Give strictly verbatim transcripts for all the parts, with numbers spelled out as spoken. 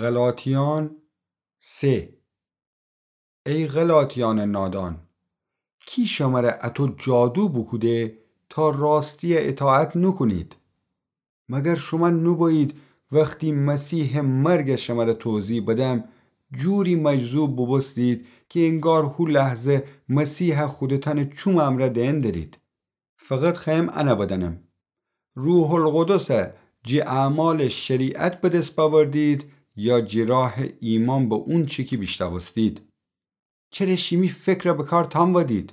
غلاطیان سه. ای غلاطیانٚ نادان، کی شمره اطو جادو بوکوده تا راستیَ اطاعت نوکونید؟ مگر شومأن نوبویید وختی مسیحٚ مرگَ شمره توضیح بدم، جوری مجذوب بوبوستید کی انگار هو لحظه مسیحَ خودتأنٚ چومٚ امرأ دئن درید؟ فقط خوأیم انَ بدأنم. روح‌القدسَ جی اعمالٚ شریعت به دس بأوردید یا جی راهٚ ایمأن به اونچی کی بیشنوستید؟ چره شیمی فکرَ به کار تأنودید؟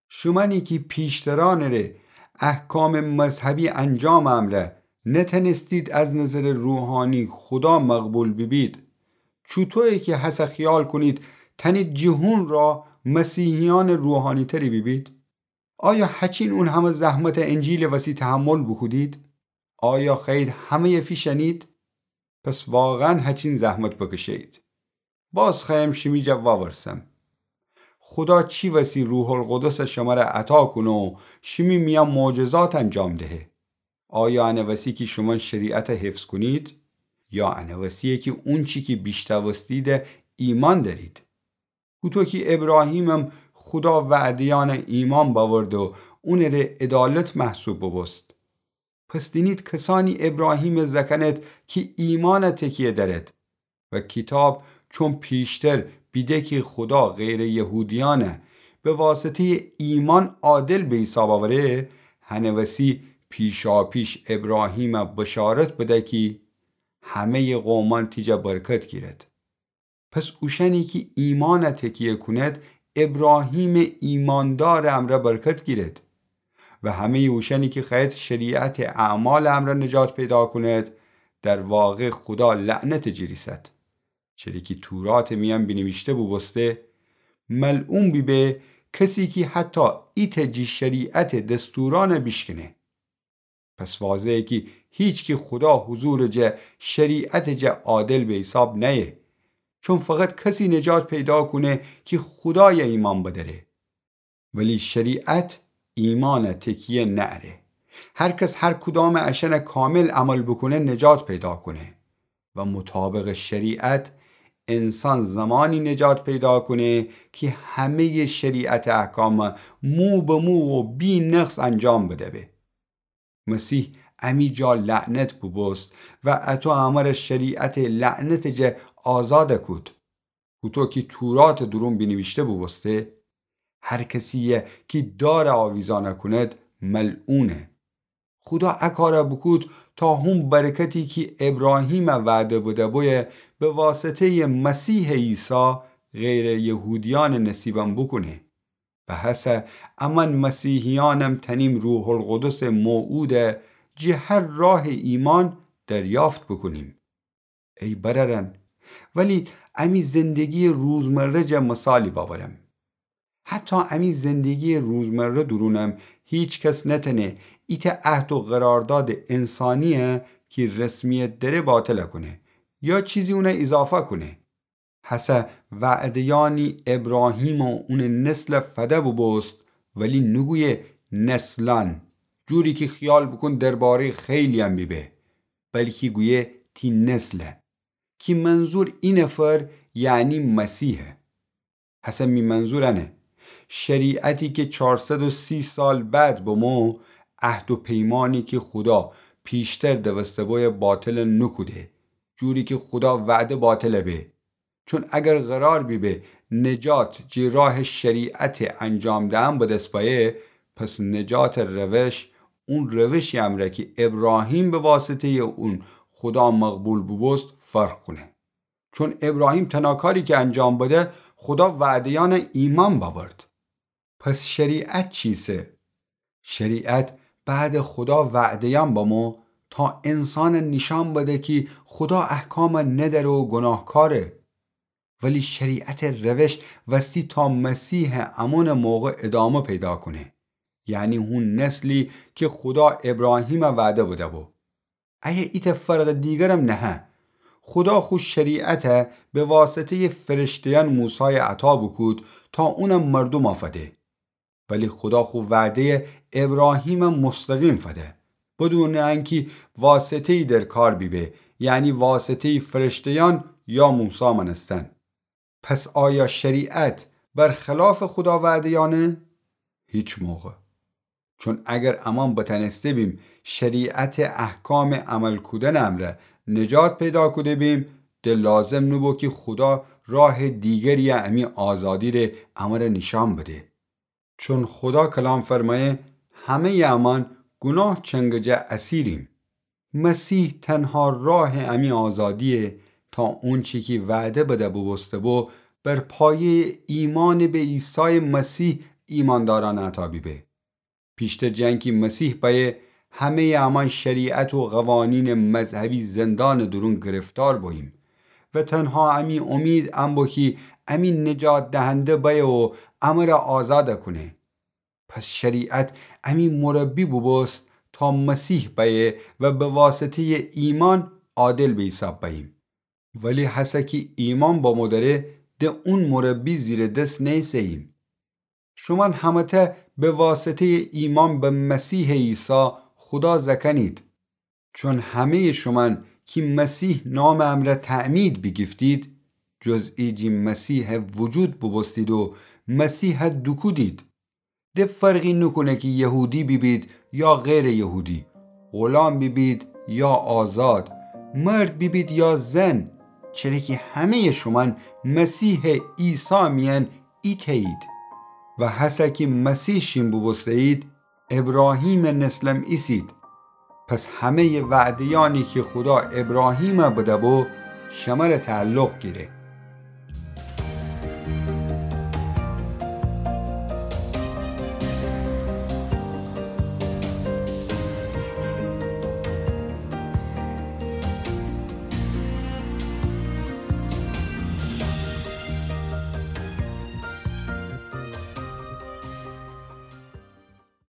شومأنی کی پیشترأنٚ ره احکامٚ مذهبی انجامٚ امرأ نتأنستید از نظرٚ روحانی خودا مقبول بیبید، چوطویه کی هسه خیال کونید تأنید جٚه هون راه مسیحیأنٚ روحانی‌تری بیبید؟ آیا هچین اون همه زحمتَ انجیلٚ وسی تحمل بوکودید؟ آیا خوأیید همه‌یَ فیشأنید؟ پس واقعاً هچین زحمت بکشه‌یید. باز خوأیم شیمی جا وأورسم. خودا چی وسی روح‌القدسَ شمره عطا کونه و شیمی میأن معجزات انجام دهه؟ آیا انَ وسی کی شومأن شریعتَ حفظ کونید؟ یا انَ وسیه کی اونچی کی بیشنوستیدَ ایمأن دأرید؟ هوطو کی ابراهیمم خودا وعده‌یأنَ ایمأن بأورد و اونٚ ره عدالت محسوب بوبوست. پس دینید کسأنی ابراهیمَ زأکأنید کی ایمأنَ تکیه دأرید. و کیتاب چون پیشتر بیده کی خودا غیرٚ یهودیأنَ به واسطه‌یٚ ایمأن عادل به حیساب أوره، هنٚ وسی پیشاپیش ابراهیمَ بشارت بده کی همه‌یٚ قومأن تی جا برکت گیرد. پس اوشأنی کی ایمأنَ تکیه کونید، ابراهیمٚ ایمأندارٚ امرأ برکت گیرید. و همه‌یٚ اوشأنی کی خوأیید شریعتٚ اعمالٚ امرأ نجات پیدا کونید، در واقع خودا لعنتٚ جٚه ریسد. چره کی توراتٚ میأن بینیویشته بوبوسته: ملعون بیبه کسی کی حتی ایتأ جٚه شریعتٚ دستورأنَ بیشکنه. پس واضحه کی هیچکی خودا حضورٚ جا شریعتٚ جا عادل به حیساب نأیه، چون فقط کسی نجات پیدا کونه کی خودایَ ایمأن بدأره. ولی شریعت ایمأنَ تکیه نأره. هر کس هر کدامٚ اشأنَ کامل عمل بوکونه نجات پیدا کونه. و مطابقٚ شریعت انسان زمانی نجات پیدا کونه کی همه‌یٚ شریعتٚ احکامَ مو به مو و بی نقص انجام بدأ به. مسیح امی جا لعنت بوبوست و اطو امرَ شریعتٚ لعنتٚ جا آزادَ کود. هوطو کی توراتٚ دورون بینیویشته بوبوسته: هر کسی‌یی کی دارَ آویزأنَ کونید، ملعونه. خودا ا کارَ بوکود تا هون برکتی کی ابراهیمَ وعده بدأ بویه، به واسطه‌یٚ مسیحٚ عیسی غیرٚ یهودیأنٚ نصیبم بوکونه. و هسه امأن مسیحیأنم تأنیم روح‌القدسٚ موعودَ جٚه هر راهٚ ایمأن دریافت بوکونیم. ای برأرأن، ولی امی زندگی‌یٚ روزمره جا مثالی بأورم. حتی امی زندگی‌یٚ روزمره دورونم هیچ کس نتأنه ایتأ عهد و قراردادٚ انسانی‌یَ کی رسمیت دأره باطلَ کونه یا چیزی اونَ ایضافه کونه. هسه وعده‌یأنی ابراهیم و اونٚ نسلَ فده بوبوست، ولی نوگویه نسلأن، جوری کی خیال بوکون درباره‌یٚ خیلی‌یأن بیبه، بلکی گویه تی نسلَ، کی منظور ای نفر یعنی مسیحه. هسه می منظور انه: شریعتی کی چارصد و سی سال بعد بمو، عهد و پیمانی کی خودا پیشتر دوسته بویه باطلَ نوکوده، جوری کی خودا وعده باطلَ به. چون اگر قرار بیبه نجات جٚه راهٚ شریعتٚ انجام دئن به دس بأیه، پس نجاتٚ روش اون روشی امرأ کی ابراهیم به واسطه‌یٚ اون خودا مقبول بوبوست فرق کونه. چون ابراهیم تنها کاری کی انجام بده، خودا وعده‌یأنَ ایمأن بأورد. پس شریعت چیسه؟ شریعت بعدٚ خودا وعده‌یأن بمو تا انسانَ نیشأن بده کی خودا احکامَ ندأره و گوناهکاره. ولی شریعتٚ روش وستی تا مسیحٚ امونٚ موقع ادامه پیدا کونه، یعنی هون نسلی کی خودا ابراهیمَ وعده بده‌بو. ایه ایتأ فرقٚ دیگرم نهه. خودا خو شریعتَ به واسطه‌یٚ فرشته‌یأن موسایَ عطا بوکود تا اونَ مردومَ فده. ولی خودا خو وعده‌یَ ابراهیمَ مستقیم فده، بدونٚ انکی واسطه‌یی در کار بیبه، یعنی واسطه‌یٚ فرشته‌یأن یا موسی مأنستن. پس آیا شریعت بر خلافٚ خودا وعده‌یأنه؟ هیچ موقع. چون اگر امأن بتأنسته‌بیم شریعتٚ احکامٚ عمل کودنٚ امرأ نجات پیدا کوده‌بیم، د لازم نوبو کی خودا راهٚ دیگری‌یٚ امی آزادی ره امرأ نیشأن بده. چون خودا کلام فرمأیه، همه‌یٚ امأن گوناه چنگٚ جا اسیریم. مسیح تنها راهٚ امی آزادییه تا اونچی کی وعده بده بوبوسته‌بو، بر پایه‌یٚ ایمأن به عیسایٚ مسیح ایمأندارأن عطا بیبه. پیشتر جٚه انکی مسیح بأیه، همه‌یٚ امأن شریعت و قوانینٚ مذهبی زندانٚ دورون گرفتار بوییم و تنها امی امید ان بو کی امی نجات دهنده بأیه و امرأ آزاد کونه. پس شریعت امی مربی بوبوست تا مسیح بأیه و به واسطه‌یٚ ایمأن عادل به حیساب بأییم. ولی هسه کی ایمأن بمو دأره، د اون مربی زیر دس نیسه‌ییم. شومأن همه‌تأ به واسطه‌یٚ ایمأن به مسیحٚ عیسی خودا زأکأنید. چون همه‌یٚ شومأن کی مسیح نامٚ امرأ تعمید بیگیفتید، جز ایجی مسیح وجود بوبوستید و مسیح دوکودید. د فرقی نوکونه کی یهودی بیبید یا غیرٚ یهودی، غلام بیبید یا آزاد، مرد بیبید یا زن، چره کی همه‌یٚ شومأن مسیحٚ عیسی میأن ایتأیید. و هسه کی مسیح شین بوبوسته‌یید، ابراهیمٚ نسلم ایسید. پس همه‌یٚ وعده‌یأنی کی خودا ابراهیم بده‌بو، شمره تعلق گیره.